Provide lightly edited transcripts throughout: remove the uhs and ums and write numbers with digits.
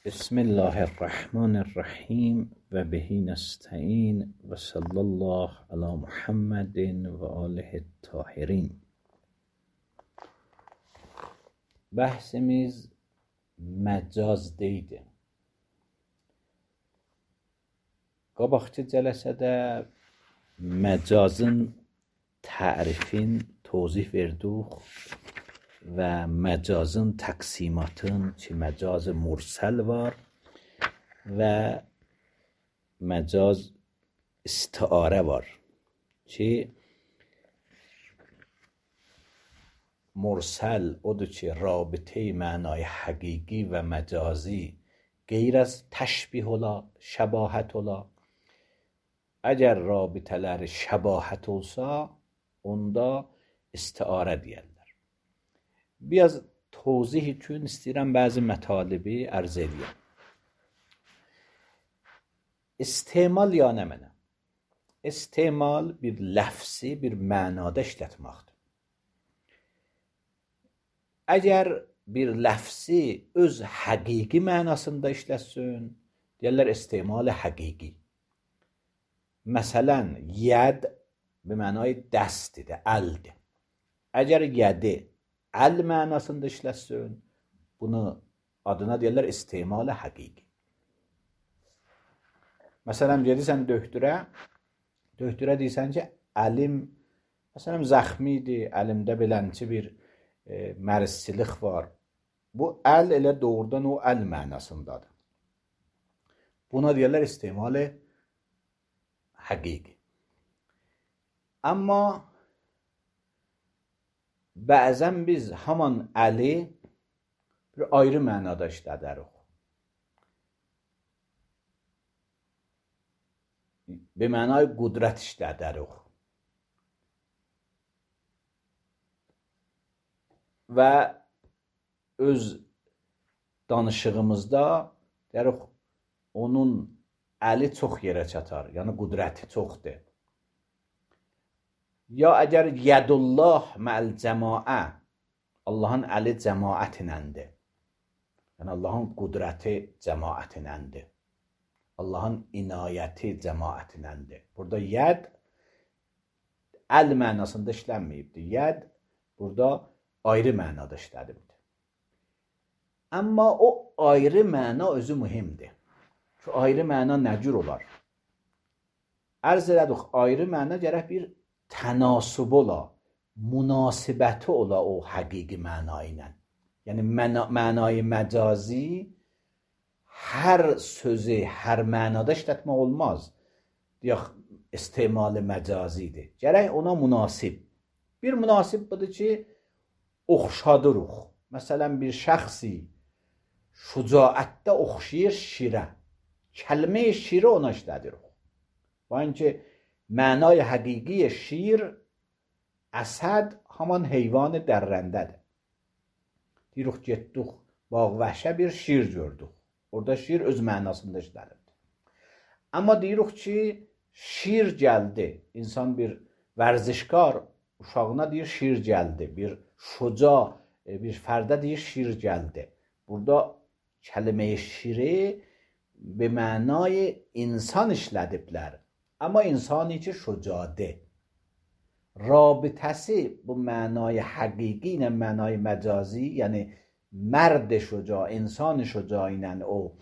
بسم الله الرحمن الرحیم و به نستعین و صلی الله علی محمد و آله الطاهرین. Bəhsimiz məcaz deydi. Qabaqçı cələsədə məcazın tərifin tozih verdik və məcazın təqsimatın ki, məcaz mursəl var və məcaz istiarə var ki, مرسل odur ki رابطه معنای حقیقی و مجازی غیر از تشبیه ola, şəbahət ola. Əgər rabitələri şəbahət olsa, onda istiarə deyərlər. Biraz tozih üçün istəyirəm bəzi mətalibi ərz edeyim. İstemal ya nə mənə? İstemal bir ləfsi, bir mənada işlətməkdir. Əgər bir ləfsi öz həqiqi mənasında işləsin, deyərlər istemal həqiqi. Məsələn, yəd bir mənay dəstidir, əldir. Əgər yədi əl mənasında işləsin, bunu adına deyərlər istemal həqiqi. Məsələn, gedirsən döktürə deyirsən ki, əlim, məsələn, zəxmidir, əlimdə belənçi bir mərsçilik var. Bu əl elə doğrudan o əl mənasındadır. Buna deyərlər istemal həqiqi. Amma bəzən biz haman əli bir ayrı mənada işlədərik. Be mənay qudrət işlədərik. Və öz danışığımızda deyərik, onun əli çox yerə çatar, yəni qudrəti çoxdur. Ya əgər yədullah mə'l cəmaə, Allahın əli cəmaətinəndir. Yəni Allahın qudrəti cəmaətinəndir. Allahın inayəti cəmaətinəndir. Burada yəd əl mənasında işlənməyibdir. Yəd burada ayrı mənada işlədibdir. Amma o ayrı məna özü mühimdir. Şu ayrı məna nə cür olar? Ərz elədik, ayrı məna gərək bir tənasub ola, münasibəti ola o həqiqi məna ilə. Yəni mənayı məcazi hər sözü, hər mənada işlətmək olmaz. Deyək, istemal məcazidir. Gərək ona münasib. Bir münasib budur ki, oxşadırıq. Məsələn, bir şəxsi şücaətdə oxşayır şirə. Kəlmə-i şirə ona işlədirik. Və inki mənay həqiqi şir, əsəd haman heyvan dərrəndədir. Deyirik, getdik, bağ vəhşə bir şir gördük. Orada şir öz mənasında işlədirdi. Amma deyirik ki, şir gəldi. İnsan bir vərzişkar uşağına deyir, şir gəldi. Bir şuca, bir fərdə deyir, şir gəldi. Burada kəlmə-i şiri be mənay insan işlədiblər. Amma insani ki, şucadır. Rabitəsi bu mənay həqiqi ilə mənay məcazi, yəni mərd şuca, insan şuca ilə o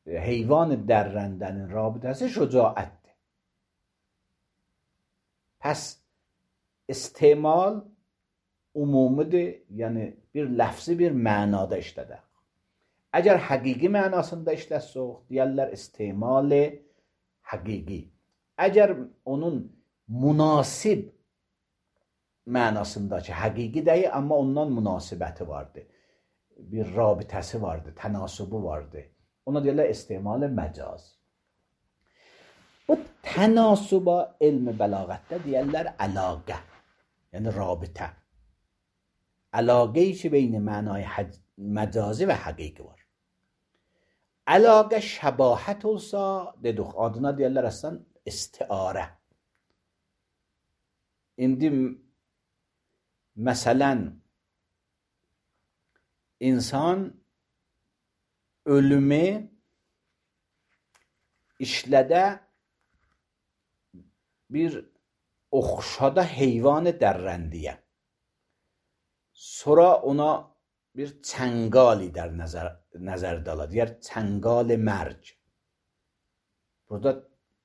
heyvan dərrəndənin rabitəsi şucaətdir. Pəs istemal umumidir, yəni bir ləfzi bir mənada işlədək. Əgər həqiqi mənasında işləsək, deyərlər istemal həqiqi. Əgər onun münasib mənasındakı həqiqi deyil, amma ondan münasibəti vardır. Bir rabitəsi vardır, tənasubu vardır. Ona deyərlər istemal məcaz. Bu tənasuba elm bəlağətdə deyərlər əlaqə, yəni rabitə. Əlaqəyi ki, beyin mənay məcazi və həqiqi var. Əlaqə şəbahət olsa, dedik, adına deyərlər əslən istiarə. İndi məsələn, insan ölümü işlədə bir oxşada heyvan dərrəndiyə. Sonra ona bir çəngali در nəzərdə ala. Deyər çəngal mərc. Burada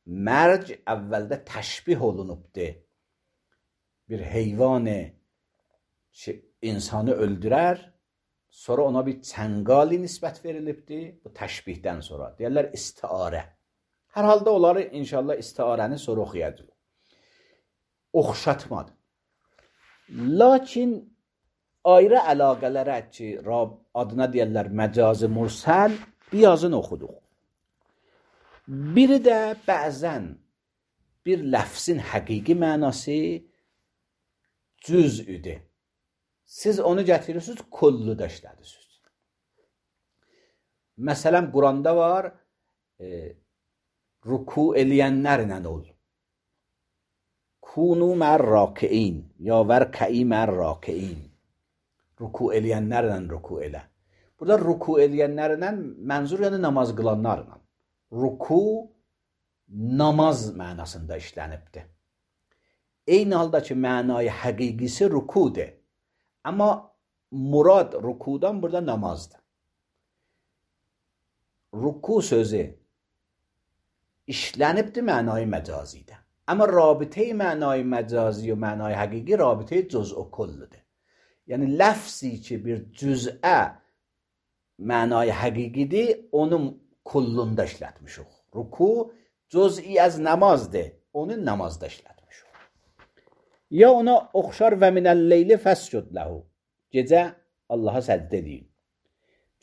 mərc əvvəldə təşbih olunubdur. Bir heyvan insanı öldürər, sonra ona bir çəngali nisbət verilibdir. Bu təşbihdən sonra. Deyərlər istiarə. Hər halda onları inşallah istiarəni sonra oxuyacaq. Oxşatmadı. Lakin ayrı əlaqələrə ki, adına deyərlər məcazı mursəl, birazını oxuduq. Biri də bəzən bir ləfzin həqiqi mənası cüz'üdür. Siz onu gətirirsiniz, kullu da işlədirsiniz. Məsələn, Quranda var, ruku eləyənlərlə ol. Kunu mər rakiin, ya vərkəi mər rakiin. Ruku eləyənlərlə ruku elə. Burada ruku eləyənlərlə mənzur yəni namaz qılanlarla. Ruku namaz mənasında işlənibdir. Eyni halda ki, mənayı həqiqisi rukudur. Amma murad rukudan burada namazdır. Ruku sözü işlənibdir mənayı məcazidə. Amma rabitəyi mənayı məcazi və mənayı həqiqi rabitəyi cüz o kulludur. Yəni ləfzi ki bir cüz'ə mənayı həqiqidir, onun kullunda işlətmişik. Ruku cüz'i az namazdır, onu namazda işlətmişik. Ya ona oxşar və minəl-leyli fəscud ləhu. Gecə Allaha səcdə edin.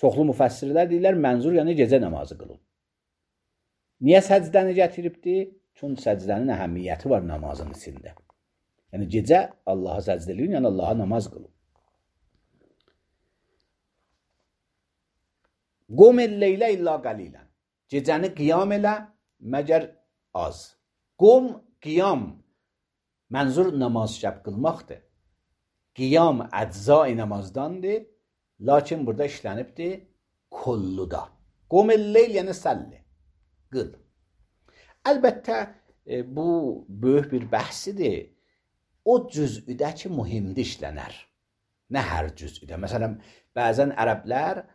Çoxlu müfəssirlər deyirlər, mənzur yəni gecə namazı qılın. Niyə səcdəni gətiribdir? Çünki səcdənin əhəmiyyəti var namazın içində. Yəni gecə Allaha səcdə edin, yəni Allaha namaz qılın. Qum el-leylə illa qalilən. Gecəni qiyam elə, məgər az. Qum, qiyam, mənzur namaz şəb qılmaqdır. Qiyam əcza-i namazdandır, lakin burada işlənibdir kulluda. Qum el-leyl yəni səlli, qıl. Əlbəttə, bu böyük bir bəhsidir. O cüz'üdə ki, mühimdir işlənər. Nə hər cüz'üdə. Məsələn, bəzən ərəblər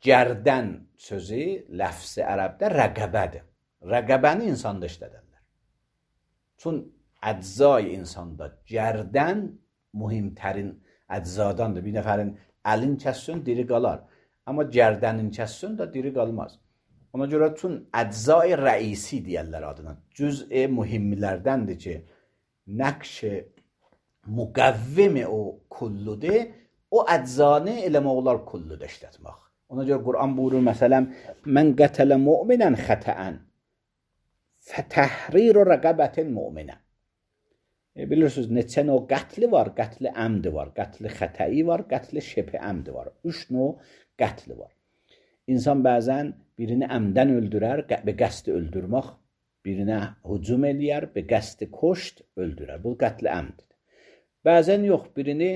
gərdən sözü, ləfsi ərəbdə rəqəbədir. Rəqəbəni insanda işlədərlər. Çün əcza-i insanda gərdən mühimtərin əczadandır. Bir nəfərin əlin kəssün, diri qalar. Amma gərdənin kəssün də diri qalmaz. Ona görə çün əcza-i rəisi deyərlər adına. Cüz-i mühimlərdəndir ki, nəqş-i müqəvvim o kulludur, o əczanı eləmək olar kulluda işlətmək. Ona görə Quran buyurur, məsələn, mən qətələ mu'minən xətəən fətəhrir rəqəbətin mu'minə. Bilirsiniz, neçə növ qətli var, qətli əmdi var, qətli xətəyi var, qətli şepi əmdi var. 3 növ qətli var. İnsan bəzən birini əmdən öldürər, be qəsdi öldürmək, birinə hücum eləyər, be qəsdi koşt öldürər. Bu qətli əmdidir. Bəzən yox, birini,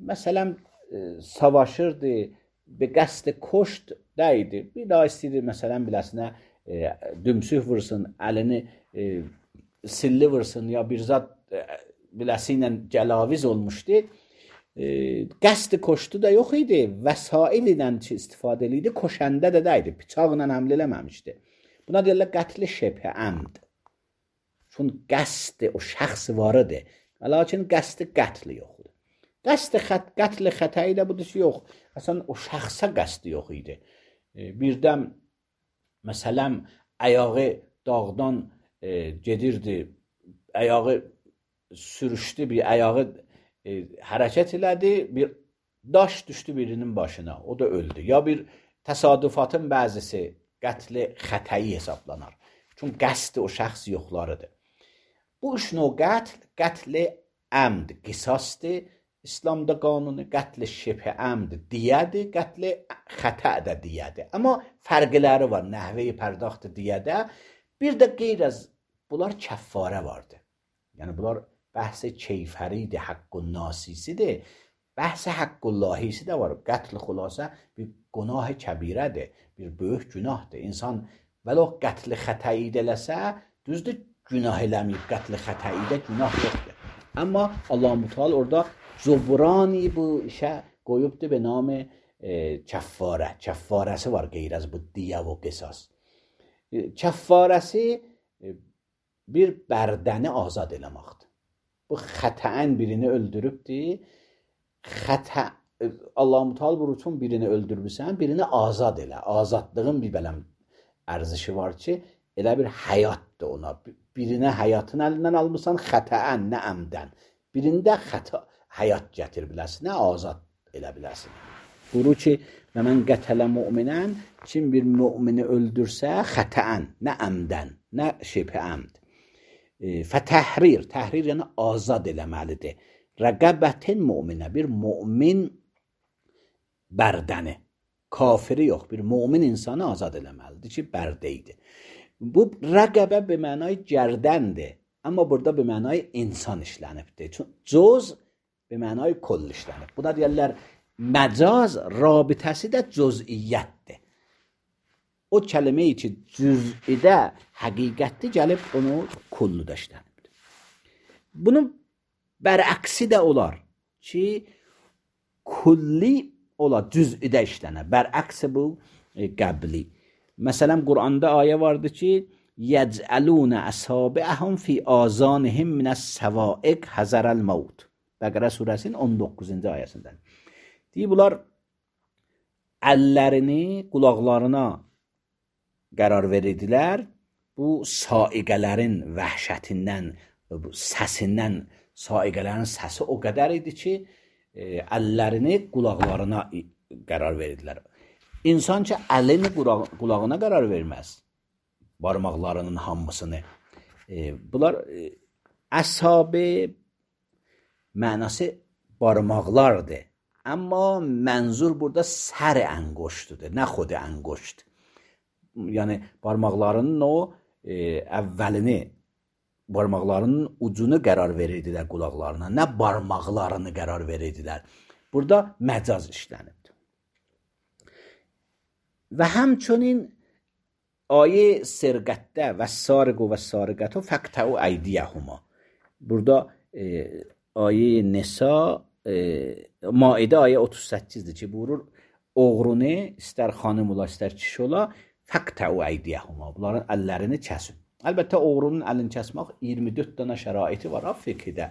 məsələn, savaşırdı, be qəsdi koşt dəydi. Bir daha istəyir, məsələn, biləsinə dümsüh vursun, əlini silli vursun, ya bir zat biləsi ilə cəlaviz olmuşdu. Qəsdi koştu da yox idi. Vəsail ilə istifadə edirdi, koşəndə də dəydi. Bıçaqla həml eləməmişdi. Buna deyirlər qətli şəbhə əmd. Çünki qəsdi o şəxs var idi. Lakin qəsdi qətli yox idi. Qətli xətəyi də budur ki, yox. Əsən o şəxsə qəsdi yox idi. Birdən, məsələn, ayağı dağdan gedirdi, ayağı sürüşdü, bir ayağı hərəkət elədi, bir daş düşdü birinin başına, o da öldü. Ya bir təsadüfatın bəzisi qətli xətəyi hesablanar. Çünki qəsdi o şəxs yoxlarıdır. Bu 3 növ qətli əmd, qisasdır, İslamda qanunu, qətli şibhə əmd diyədir, qətli xətə də diyədir. Amma fərqləri var, nəhvəyi pərdaxtı diyədə. Bir də qeyr az, bunlar kəffarə vardır. Yəni, bunlar bəhs-i keyfəridir, haqqun nasisidir. Bəhs-i haqqullahisi də var. Qətl xülasə bir günah kəbirədir, bir böyük günahdır. İnsan vələ qətl xətəyi eləsə, düzdür, günah eləməyib, qətl xətəyi də günah yoxdur. Amma Allah-u Teala orada cübrani bu işə qoyubdur be nam kəffarə. Kəffarəsi var qeyr az bu diyə və qisas. Kəffarəsi bir bərdəni azad eləməkdir. Bu xətəən birini öldürübdür. Allah-u Teala vurutun birini öldürmüsən, birini azad elə. Azadlığın bir bələm ərzişi var ki, elə bir həyatdır ona. Birinə həyatın əlindən almısan, xətəən, nə əmdən. Birində həyat gətir biləsin, nə azad elə biləsin. Buyurur ki, və mən qətələ müminən, kim bir mümini öldürsə, xətəən, nə əmdən, nə şibhə əmd. Fətəhrir, təhrir yəni azad eləməlidir. Rəqəbətin müminə, bir mümin bərdəni, kafiri yox, bir mümin insanı azad eləməlidir ki, bərdəydi. Bu rəqəbə bir mənay gərdəndir, amma burada bir mənay insan işlənibdir. Cüz bir mənay kull işlənib. Bu da deyərlər, məcaz rabitəsi də cüz'iyyətdir. O kəlməyi ki, cüz'idə həqiqətdir, gəlib onu kullu da işlənibdir. Bunun bərəksi də olar ki, kulli olar, cüz'idə işlənə. Bərəksi bu qəbli. Məsələn, Quranda ayə vardır ki, yəcəlunə əsabiəhum fi azanihim minəs-səvaiq həzərəl-mavt. Bəqərə surəsinin 19-cu ayəsindən. Deyir, bunlar əllərini qulaqlarına qərar verirdilər. Bu saiqələrin vəhşətindən, səsindən, saiqələrin səsi o qədər idi ki, əllərini qulaqlarına qərar verirdilər. İnsan ki, əlini qulağına qərar verməz, barmaqlarının hamısını. Bunlar əsabi mənası barmaqlardır. Amma mənzur burada sər əngoştudur, nə xod əngoşt. Yəni, barmaqlarının o əvvəlini, barmaqlarının ucunu qərar verirdilər qulaqlarına, nə barmaqlarını qərar verirdilər. Burada məcaz işlənibdir. Və həmçinin ayə sirqətdə və sariqu və sariqətü fəqtəu əydiyəhuma. Burada ayə Nisa, Maidə ayə 38-dir ki, buyurur, oğrunu istər xanım ola, istər kişi ola, fəqtəu əydiyəhuma. Bunların əllərini kəsin. Əlbəttə, oğrunun əlini kəsmək 24 dənə şəraiti var fiqhdə.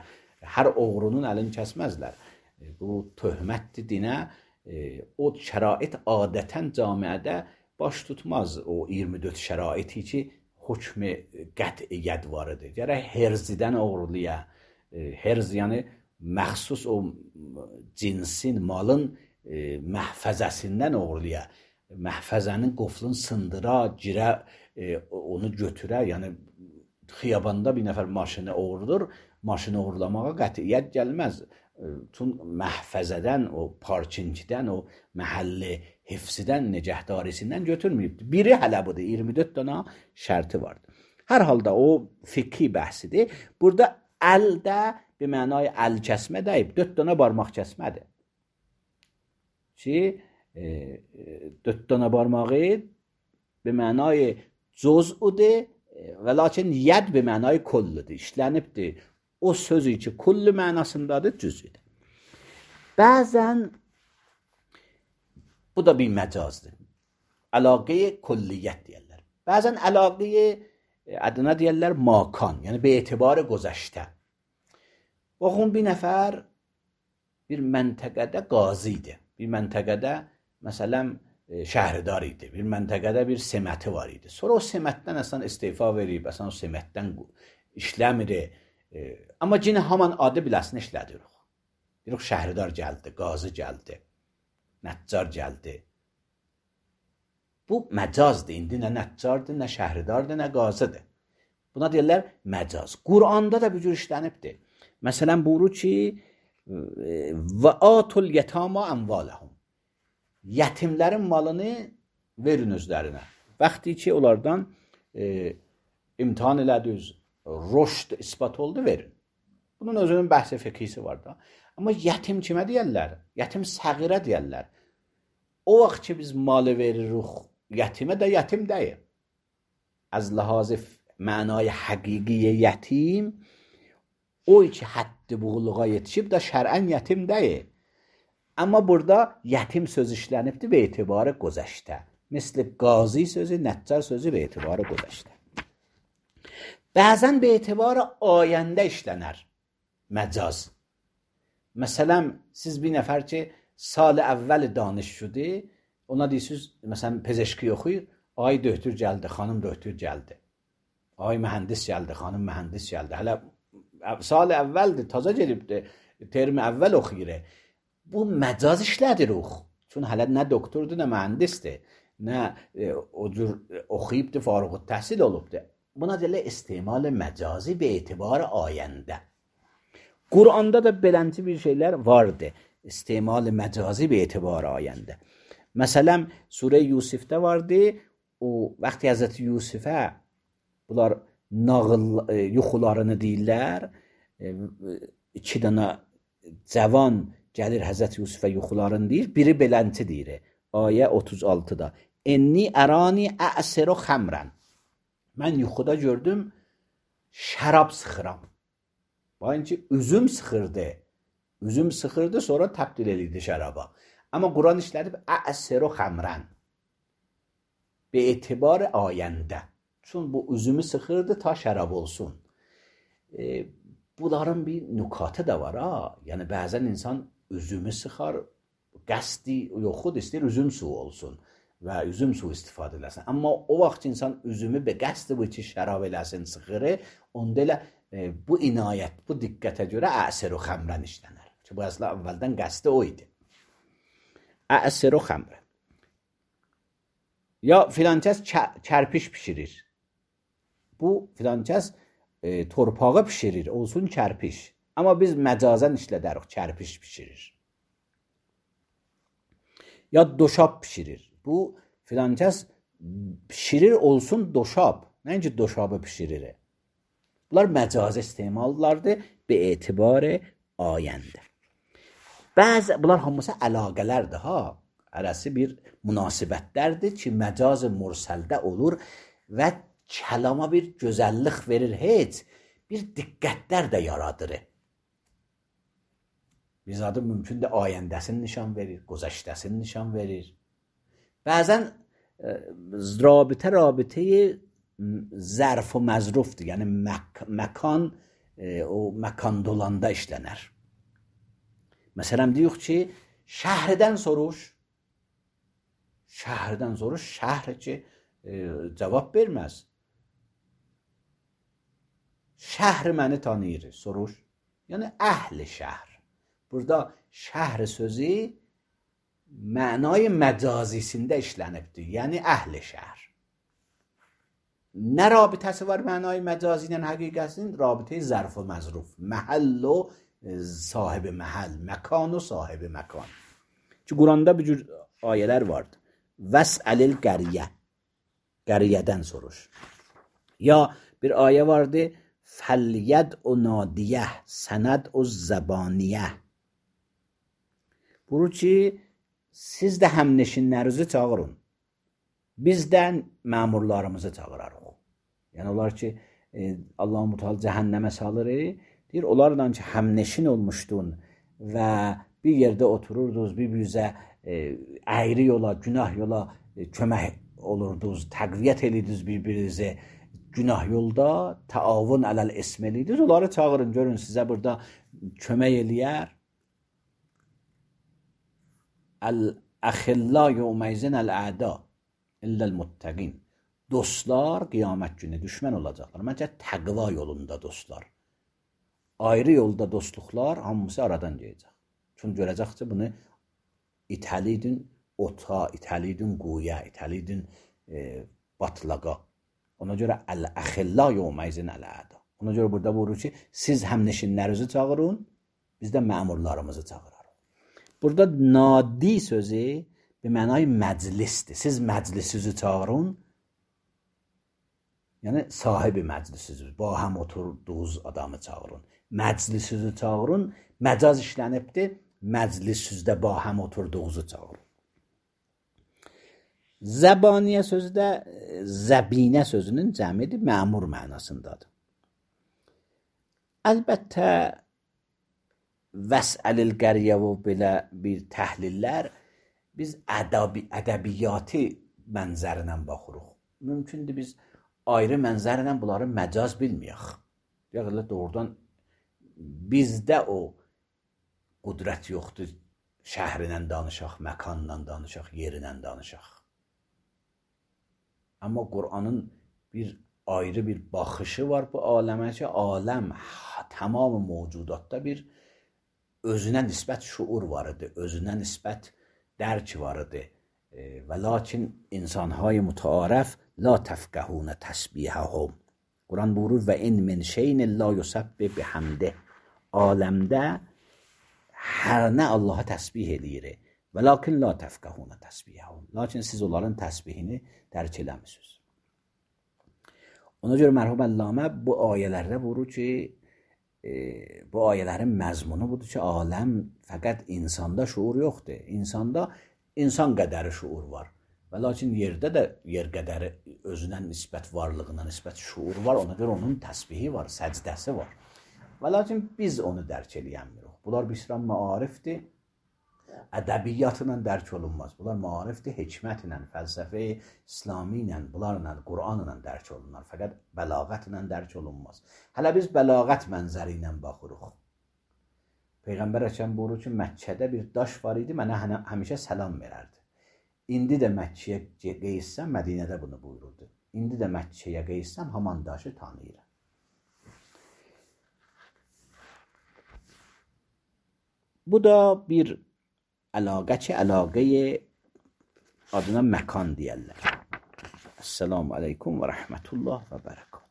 Hər oğrunun əlini kəsməzlər. Bu töhmətdir dinə. O şərait adətən camiədə baş tutmaz. O 24 şəraiti ki, hökmü qətiyyət var idi. Gərək herzidən oğurluya. Herz yəni məxsus o cinsin, malın məhfəzəsindən oğurluya. Məhfəzənin qoflunu sındıra, girə, onu götürə, yəni xiyabanda bir nəfər maşını oğurdur, maşını oğurlamağa qətiyyət gəlməz. Tun məhfəzədən, o parkinçidən, o məhəlli hifzidən, necəhdarisindən götürməyibdir. Biri hələ budur, 24 dana şərti vardır. Hər halda o fiqhi bəhsidir. Burada əldə bir mənay əl kəsmə deyib, 4 dana barmaq kəsmədir. Ki, 4 dana barmağı bir mənay cüz'udur və lakin yəd bir mənay kulludur, işlənibdir. O sözü ki, kullu mənasındadır, cüz'üdür. Bəzən, bu da bir məcazdır. Əlaqə-i kulliyyət deyərlər. Bəzən əlaqə-i adına deyərlər makan, yəni be etibarı gözəştə. Baxın, bir nəfər bir məntəqədə qazi idi. Bir məntəqədə, məsələn, şəhridar idi. Bir məntəqədə bir seməti var idi. Sonra o semətdən əsən istifa verib, əsən o semətdən işləmir. Amma yenə haman adı biləsini işlədirik. Deyirik, şəhridar gəldi, qazi gəldi, nəccar gəldi. Bu məcazdır. İndi nə nəccardır, nə şəhridardır, nə qazıdır. Buna deyirlər məcaz. Quranda da bu cür işlənibdir. Məsələn, buyurur ki, və atul yetama əmvaləhum. Yetimlərin malını verin özlərinə. Vaxtı ki, onlardan imtihan elədiniz, rüşd isbat oldu, verin. Bunun özünün bəhsi fiqhisi var da. Amma yetim kimə deyərlər? Yetim səğirə deyərlər. o vaxt ki biz malı veririk yetimə də yetim deyil. از لحاظ معنای حقیقی یتیم اوی که حد buluğa yetişib də şər'ən yetim deyil. Amma burada yetim söz işlənibdir به اعتبار گذشته. مثل قاضی sözü, نجار sözü به اعتبار گذشته. Bəzən به اعتبار آینده işlənər məcaz. Məsələn, siz bir nəfər ki sal əvvəl danışşudur, ona deyirsiniz, məsələn, pezeşki oxuyur, ay döktür gəldi, xanım döktür gəldi. Ay mühəndis gəldi, xanım mühəndis gəldi. Hələ sal əvvəldir, taza gelibdir, termi əvvəl oxuyur. Bu məcaz işlədir ox. Çün hələ nə doktordur, nə mühəndisdir, nə o cür oxuyubdur, fərğ təhsil olubdur. Buna deyilə istimal məcazi be etibar ayəndə. Quranda da beləncə bir şeylər vardı. İstimal məcazi be etibar ayəndə. Məsələn, Surə Yusifdə vardı. O vaxtı Həzrəti Yusifə bunlar nağıl yuxularını deyirlər. 2 dənə cavan gəlir Həzrəti Yusifə yuxularını deyir. Biri beləncə deyir. Ayə 36-da. Enni ərani əsiru xəmrən. Mən yuxuda gördüm şərab sıxıram. Bayın ki üzüm sıxırdı. Üzüm sıxırdı sonra təbdil edildi şəraba. Amma Quran işlədib əsiru xəmrən. Be etibar ayəndə. Çün bu üzümü sıxırdı ta şərab olsun. Bunların bir nükatı da var ha. Yəni bəzən insan üzümü sıxar, qəsdi yoxud istəyir üzüm suyu olsun və üzüm suyu istifadə eləsin. Amma o vaxt insan üzümü be qəsdi bu ki şərab eləsin, sıxırı, onda elə bu inayət, bu diqqətə görə əsiru xəmrən işlənər. Ki bu əslində əvvəldən qəsdi o idi. Əsiru xəmrən. Ya filan kəs kərpiş pişirir. Bu filan kəs torpağı pişirir, olsun kərpiş. Amma biz məcazən işlədərik, kərpiş pişirir. Ya doşab pişirir. Bu filan kəs pişirir, olsun doşab. Nəinki doşabı pişirir. Bunlar məcazi istemallardır be etibar ayəndə. Bunlar hamısı əlaqələrdir ha. Arası bir münasibətlərdir ki, məcaz mursəldə olur və kəlama bir gözəllik verir, heç bir diqqətlər də yaradır. Bir adı mümkündür ayəndəsini nişan verir, güzəştəsini nişan verir. Bəzən rabitə zərf və məzrufdur. Yəni məkan o məkan dolanda işlənər. Məsələn deyirik ki, şəhərdən soruş. Şəhərdən soruş, şəhər ki cavab verməz. Şəhər məni tanıyır, soruş. Yəni əhli şəhər. Burada şəhər sözü mənay məcazisində işlənibdir. Yəni əhli şəhər. Nə rabitəsi var mənay məcazi ilə həqiqətinin? Rabitə zərf və məzruf. Məhəll o sahibi məhəll. Məkan o sahibi məkan. Ki Quranda bir cür ayələr vardır. Vəs'əlil qəriyə. Qəriyədən soruş. Ya bir ayə vardı. Fəlyəd o nadiyə. Sənəd o zəbaniyə. Buru ki, siz də həmneşinlərinizi çağırın. Biz də məmurlarımızı çağırarıq. Yəni onlar ki, Allah-u Mutal cəhənnəmə salır, deyir, onlarla ki, həmneşin olmuşdun və bir yerdə otururdunuz, bir-birinizə əyri yola, günah yola kömək olurdunuz, təqviyyət edirdiniz bir-birinizi günah yolda, təavun ələl ism edirdiniz, onları çağırın, görün sizə burada kömək eləyər. Əxillə yevməyzin əl-əda illəl muttəqin. Dostlar qiyamət günü düşmən olacaqlar. Məncə təqva yolunda dostlar. Ayrı yolda dostluqlar hamısı aradan gələcək. Çünki görəcəkcə bunu itəlidin ota, itəlidin quya, itəlidin batlaqa. Ona görə əl-əxillə yevməyzin əl-əda. Ona görə burada buyurur ki, siz həmneşinlərinizi çağırın, biz də məmurlarımızı çağırarıq. Burada nadi sözü bir mənay məclisdir. Siz məclisinizi çağırın, yəni sahibi məclisinizi, ba həm oturduğunuz adamı çağırın. Məclisinizi çağırın, məcaz işlənibdir, məclisinizdə ba həm oturduğunuzu çağırın. Zəbaniyə sözü də zəbinə sözünün cəmidir, məmur mənasındadır. Əlbəttə vəsəlil qəriyə və belə bir təhlillər biz ədəbiyyatı mənzərinə baxırıq. Mümkündür biz ayrı mənzərlə bunları məcaz bilməyək. Yəni doğrudan bizdə o qudrət yoxdur. Şəhrindən danışaq, məkanla danışaq, yerindən danışaq. Amma Qur'anın bir ayrı bir baxışı var bu aləmə ki, aləm tamam mövcudatda bir özünə nisbət şuur var idi, özünə nisbət dərk var idi. Və lakin insanhay mütəarəf la təfqəhunə təsbihəhum. Quran buyurur və in min şeyin la yusabbih bihamdih. Aləmdə hər nə Allaha təsbih eləyir. Və lakin la təfqəhunə təsbihəhum. Lakin siz onların təsbihini dərk eləmisiniz. Ona görə mərhum Əllamə bu ayələrdə buyurur ki, bu ayələrin məzmunu budur ki, aləm fəqət insanda şuur yoxdur. İnsanda insan qədəri şuur var. Və lakin yerdə də yer qədəri özünə nisbət varlığına nisbət şuur var. Ona görə onun təsbihi var, səcdəsi var. Və lakin biz onu dərk eləyəmirik. Bunlar bir maarifdir. Ədəbiyyatla dərk olunmaz. Bunlar maarifdir, hikmətlə, fəlsəfə İslami ilə, bunlarla, Qur'anla dərk olunlar. Fəqət bəlağətlə dərk olunmaz. Hələ biz bəlağət mənzəri ilə baxırıq. Peyğəmbər Əkəm buyurur ki, Məkkədə bir daş var idi, mənə həmişə səlam verərdi. İndi də Məkkəyə qeysəm, Mədinədə bunu buyururdu. İndi də Məkkəyə qeysəm, haman daşı tanıyıram. Bu da bir əlaqə ki, əlaqəyə adına məkan deyərlər. Esselamu aleykum və rəhmətullah və bərəkət.